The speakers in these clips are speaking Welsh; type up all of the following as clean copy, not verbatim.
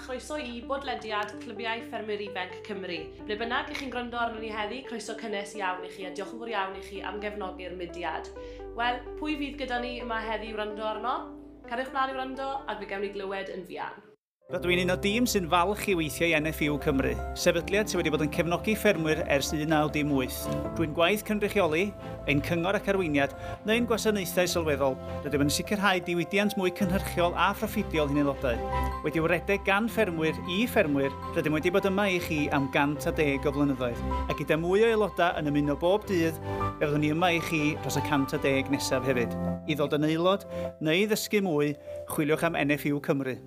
chroeso i bodlediad Clybiau Ffermwyr Ifanc Cymru. Ble bynnag i chi'n gwrando arno ni heddi, croeso cynnes iawn i chi a diolch yn fawr iawn i chi am gefnogi'r mudiad. Wel, pwy fydd gyda ni yma heddi i wrando arno? Cariwch mlaen i wrando ac fe gewn ni glywed yn fuan. Rydw i'n un o dîm sy'n falch i weithio i NFU Cymru, sefydliad sydd wedi bod yn cefnogi ffermwyr ers 1918. Drwy'n gwaith cynrychioli, ein cyngor ac arweiniad, neu'n gwasanaethau sylweddol, rydym yn sicrhau diwydiant mwy cynhyrchiol a phroffidiol i'n aelodau. Wedi'w redeg gan ffermwyr i ffermwyr, rydym wedi bod yma i chi am 110 o flynyddoedd, a gyda mwy o aelodau yn ymuno bob dydd, fe fyddwn ni yma i chi dros y 110 nesaf hefyd. I ddod yn aelod neu ddysgu mwy, chwiliwch am NFU Cymru.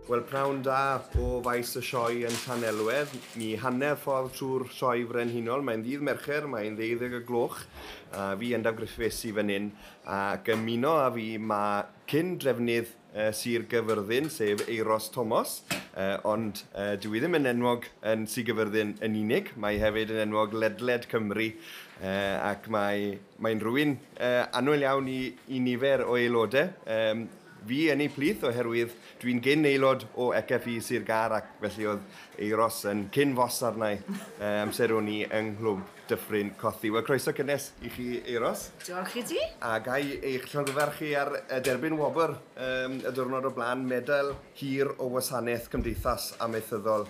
Wel, pnawn da o faes y sioe yn Llanelwedd. Ni hanner ffordd trwy'r sioe frenhinol. Mae'n ddydd Mercher, mae'n 12 y gloch. A fi, Endaf Griffiths, i fan hyn. Ac ymuno â fi mae cyn drefnydd Sir Gyfyrddin, sef Euros Thomas. Ond dyw hi ddim yn enwog yn Sir Gyfyrddin yn unig. Mae hefyd yn enwog ledled Cymru. Ac mae'n rhywun annwyl iawn i nifer o aelodau. Fi yn ei plith oherwydd dwi'n gyn aelod o ECFI Sir Gâr ac felly oedd Euros yn cyn fos arna i amser o'n i yng Nghlwb Dyffryn Cothi. Wel, croeso cynnes i chi, Euros. Diolch i ti. A ga i eich llongyfarch chi ar derbyn wobr y diwrnod o blaen, Medal Hir o Wasanaeth Cymdeithas Amaethyddol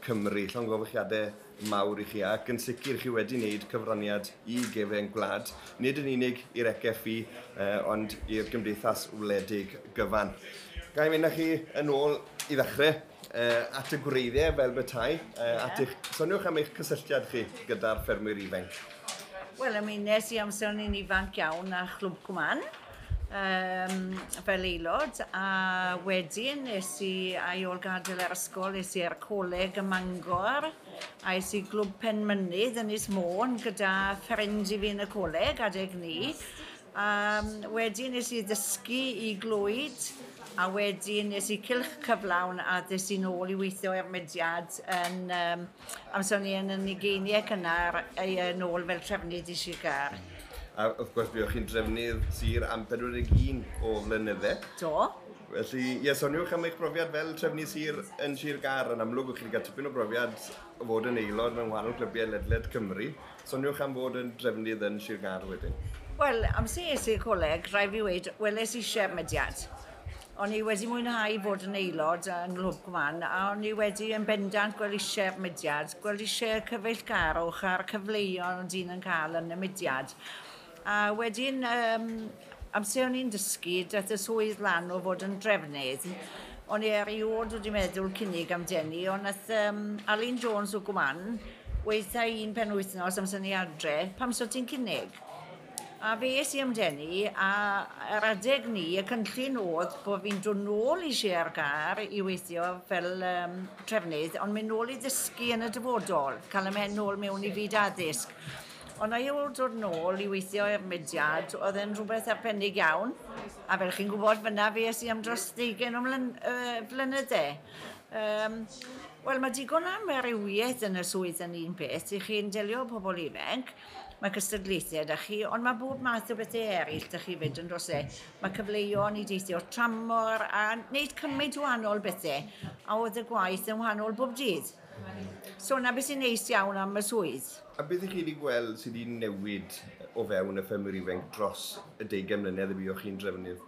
Cymru. Llongyfarchiadau mawr i chi ac yn sicr chi wedi wneud cyfraniad i gefen gwlad, nid yn unig i'r ECFI, ond i'r Gymdeithas Wledig gyfan. Ga i fynd â chi yn ôl i ddechrau at y gwreiddiau fel bethau, at eich, soniwch am eich cysylltiad chi gyda'r ffermwyr ifanc. Wel, ymunes i amser o'n i'n ifanc iawn â Chlwb Cwmann fel aelod, a wedyn nes i, a i ôl gadael yr ysgol, es i ar coleg ym Mangor, a es i Glwb Penmynydd yn Ynys Môn gyda ffrind i fi yn y coleg adeg ni. Wedyn nes i ddysgu i Glwyd, a wedyn nes i cylch cyflawn a ddes i nôl i weithio i'r mudiad yn, amser o'n i yn y ugeiniau cynnar, nôl fel trefnydd i Sir Gâr. A wrth gwrs, buoch chi'n drefnydd sir am 41 o flynydde. Do. Felly, ie, soniwch am eich brofiad fel trefnydd sir yn Sir Gâr. Yn amlwg, o'ch chi wedi cael tipyn o brofiad o fod yn aelod mewn wahanol clybiau ledled Cymru. Soniwch am fod yn drefnydd yn Sir Gâr wedyn. Wel, amser es i'r coleg, rhaid fi weud, weles i eisiau'r mudiad. O'n i wedi mwynhau fod yn aelod yng Nghlwb Cwmann, a o'n i wedi yn bendant gweld eisiau'r mudiad, gweld eisiau'r cyfeillgarwch a'r cyfleoedd o'n dyn yn cael yn y mudiad. A wedyn, amser o'n i'n dysgu, daeth y swydd lan o fod yn drefnydd. O'n i erioed wedi meddwl cynnig amdani, ond nath Alun Jones o Gwmann weitha un penwythnos amser ni adre, pam so ti'n cynnig? A fe es i amdani, a ar adeg ni, y cynllun oedd bod fi'n dod nôl i Sir Gâr i weithio fel trefnydd, ond mynd nôl i ddysgu yn y dyfodol, cael y mhen nôl mewn i fyd addysg. Ond a ôl dod nôl i weithio i'r mudiad, oedd e'n rhywbeth arbennig iawn. A fel chi'n gwybod, fyna fe es i am dros 20 o flynydde. Wel, mae digon am amrywiaeth yn y swydd yn un peth. I chi'n delio â pobl ifanc, mae cystadlaethau 'da chi, ond mae bob math o bethau eraill 'da chi fyd yn dros e. Mae cyfleoedd i deithio tramor a wneud cymaint o wahanol bethau, a oedd y gwaith yn wahanol bob dydd. So na beth sy'n neis iawn am y swydd. A beth ych chi wedi gweld sydd wedi newid o fewn y ffermwyr ifanc dros y 20 mlynedd y buoch chi'n drefnydd?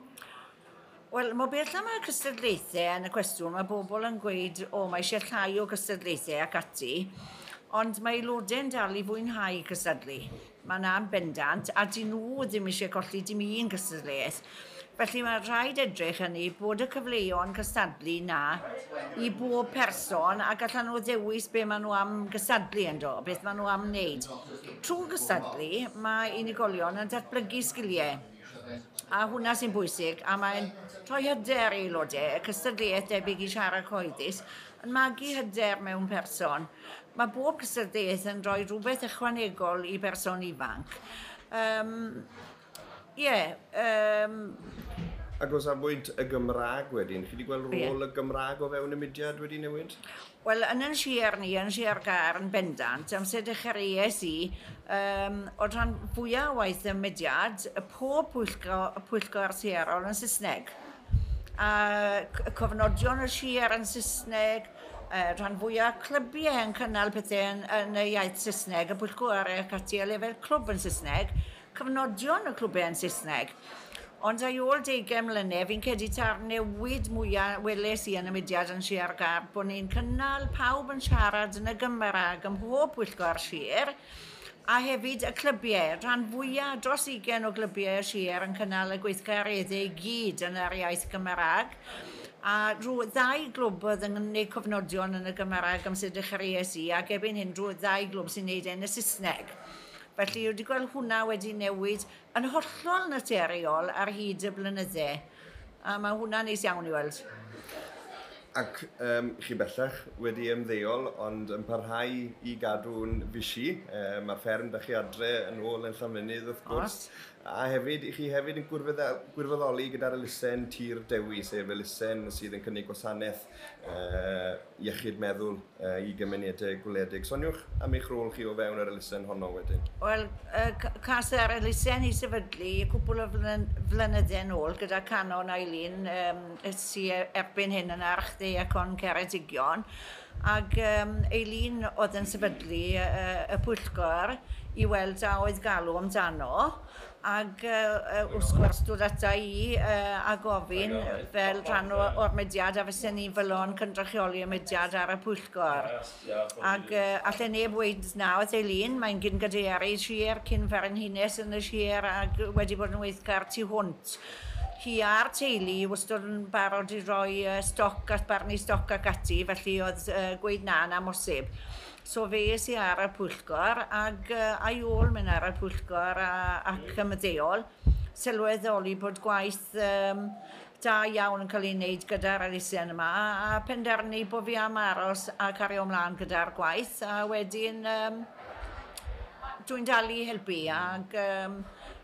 Wel, mae beth am y cystadlaethau yn y cwestiwn, mae bobl yn gweud, o, mae eisiau llai o cystadlaethau ac ati, ond mae aelodau'n dal i fwynhau cystadlu. Mae yna'n bendant, a dyn nhw ddim eisiau colli dim un cystadleuaeth. Felly mae rhaid edrych hynny bod y cyfleoedd cystadlu na i bob person a gallan nhw ddewis be maen nhw am gystadlu ynddo, beth maen nhw am wneud. Trwy gystadlu, mae unigolion yn datblygu sgiliau. A hwnna sy'n bwysig, a mae'n rhoi hyder i aelodau, y cystadleuaeth debyg i siarad cyhoeddus, yn magu hyder mewn person. Mae bob cystadleuaeth yn rhoi rhywbeth ychwanegol i berson ifanc. Ac o safbwynt y Gymraeg wedyn, chi wedi gweld rôl y Gymraeg o fewn y mudiad wedi newid? Wel, yn yn sir ni, yn Sir Gâr yn bendant, amser dechreuais i, o'r rhan fwyaf o waith y mudiad, pob pwyllgor sirol yn Saesneg. A cofnodion y sir yn Saesneg, rhan fwyaf clybiau yn cynnal pethau yn y iaith Saesneg, y pwyllgor ac ati a lefel clwb yn Saesneg, cofnodion y clwbiau yn Saesneg. Ond ar ôl 20 mlynedd, fi'n credu ta'r newid mwyaf weles i yn y mudiad yn Sir Gâr, bod ni'n cynnal pawb yn siarad yn y Gymraeg ym mhob pwyllgor sir, a hefyd y clybiau, rhan fwyaf dros 20 o glybiau y sir yn cynnal y gweithgareddau i gyd yn yr iaith Gymraeg. A rhyw ddau glwb oedd yn gwneud cofnodion yn y Gymraeg amser dechreuais i, ac erbyn hyn rhyw ddau glwb sy'n gwneud yn y Saesneg. Felly, wedi gweld hwnna wedi newid yn hollol naturiol ar hyd y blynydde. A mae hwnna'n neis iawn i weld. Ac chi bellach wedi ymddeol, ond yn parhau i gadw'n fisi. Mae'r fferm da chi adre yn ôl yn Llanfynydd, wrth gwrs. A hefyd, i chi hefyd yn gwirfoddoli gyda'r elusen Tir Dewi, sef elusen sydd yn cynnig gwasanaeth iechyd meddwl i gymunedau gwledig. Soniwch am eich rôl chi o fewn yr elusen honno wedyn. Wel, cas yr elusen i sefydlu cwpl o flynyddau nôl gyda Canon Eileen, sydd erbyn hyn yn Archddiacon Ceredigion. Ac Eileen oedd yn sefydlu y pwyllgor i weld a oedd galw amdano. Ac wrth gwrs dod ata i a gofyn fel rhan o'r mudiad a fysen ni'n fodlon cynrychioli y mudiad ar y pwyllgor. Ac allen neb weud na wrth Eileen, mae'n gyn gadeirydd sir, cyn frenhines yn y sir ac wedi bod yn weithgar tu hwnt. Hi a'r teulu wastad yn barod i roi stoc at barnu stoc ac ati, felly oedd gweud na yn amhosib. So fe es i ar y pwyllgor ac a'i ôl mynd ar y pwyllgor ac ymddeol, sylweddoli bod gwaith da iawn yn cael ei wneud gyda'r elusen yma a penderfynu bod fi am aros a cario ymlaen gyda'r gwaith a wedyn dwi'n dal i helpu ac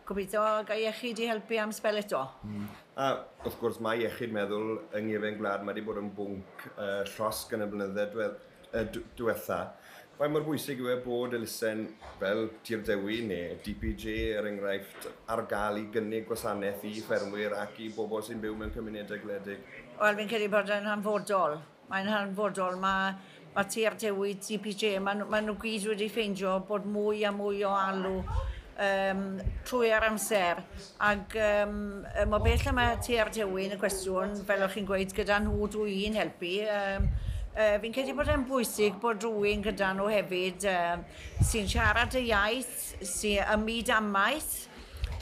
gobeithio gael iechyd i helpu am sbel eto. A wrth gwrs mae iechyd meddwl yng nghefen gwlad mae wedi bod yn bwnc llosg yn y blynydde diwetha. Faint mor bwysig yw e bod elusen fel Tir Dewi neu DPJ er enghraifft ar gael i gynnig gwasanaeth i ffermwyr ac i bobl sy'n byw mewn cymunedau gwledig? Wel, fi'n credu bod yn hanfodol. Mae'n hanfodol. Mae Tir Dewi, DPJ, ma nhw gyd wedi ffeindio bod mwy a mwy o alw trwy'r amser. Ac mor bell y mae Tir Dewi yn y cwestiwn, fel o'ch chi'n gweud, gyda nhw dwi'n helpu. Fi'n credu bod e'n bwysig bod rhywun gyda nhw hefyd sy'n siarad y iaith, sy'n ym myd amaeth.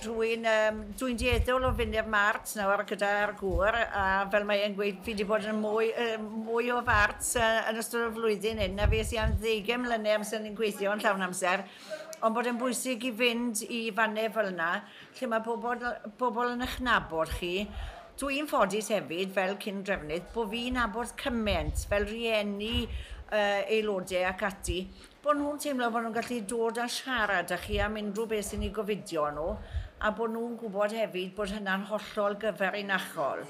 Rhywun, dwi'n dueddol o fynd i'r mart nawr gyda'r gŵr, a fel mae'n gweud, fi wedi bod yn mwy o fart yn ystod y flwyddyn hyn, a fi es i am 20 mlynedd amser ni'n gweithio yn llawn amser. Ond bod e'n bwysig i fynd i fannau fel yna, lle mae pobl yn eich nabod chi. Dwi'n ffodus hefyd, fel cyn drefnydd, bod fi'n nabod cymaint, fel rieni aelodau ac ati, bod nhw'n teimlo bod nhw'n gallu dod a siarad â chi am unrhyw beth sy'n eu gofidio nhw, a bod nhw'n gwybod hefyd bod hynna'n hollol gyfrinachol.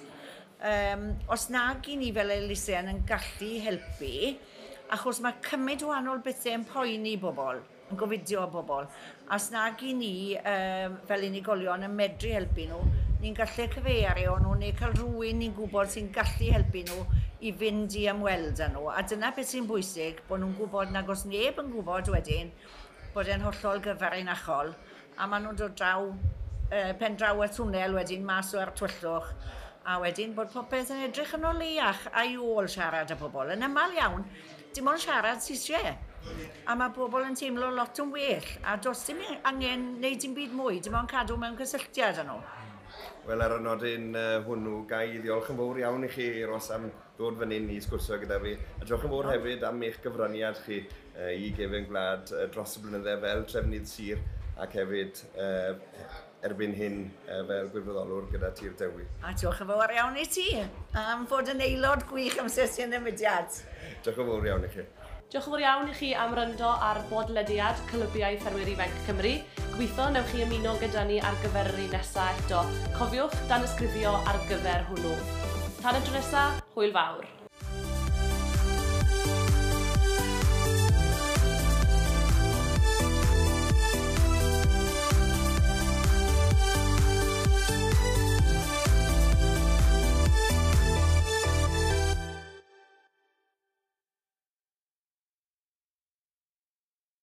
Os nag i ni fel elusen yn gallu helpu, achos mae cymaint o wahanol bethau yn poeni bobl, yn gofidio bobl, a os nag i ni fel unigolion yn medru helpu nhw, ni'n gallu cyfeirio nhw neu cael rhywun ni'n gwybod sy'n gallu helpu nhw i fynd i ymweld â nhw. A dyna beth sy'n bwysig, bod nhw'n gwybod nag os neb yn gwybod wedyn bod e'n hollol gyfrinachol, a maen nhw'n dod draw, pen draw y twnnel wedyn mas o'r tywyllwch, a wedyn bod popeth yn edrych yn oleuach a'i ôl siarad â pobl. Yn aml iawn, dim ond siarad sy'n eisiau. A mae pobl yn teimlo lot yn well, a does dim angen wneud dim byd mwy, dim ond cadw mewn cysylltiad â nhw. Wel, ar y nodyn hwnnw, ga i ddiolch yn fawr iawn i chi, Ros, am ddod fan hyn i sgwrsio gyda fi. A diolch yn fawr hefyd am eich gyfraniad chi i gefen gwlad dros y blynydde fel trefnydd sir ac hefyd erbyn hyn fel gwirfoddolwr gyda Tir Dewi. A diolch yn fawr iawn i ti am fod yn aelod gwych am sesiwn y mudiad. Diolch yn fawr iawn i chi. Diolch yn fawr iawn i chi am wrando ar bodlediad Clybiau Ffermwyr Ifanc Cymru. Gobeithio newch chi ymuno gyda ni ar gyfer yr un nesaf eto. Cofiwch danysgrifio ar gyfer hwnnw. Tan y tro nesaf, hwyl fawr.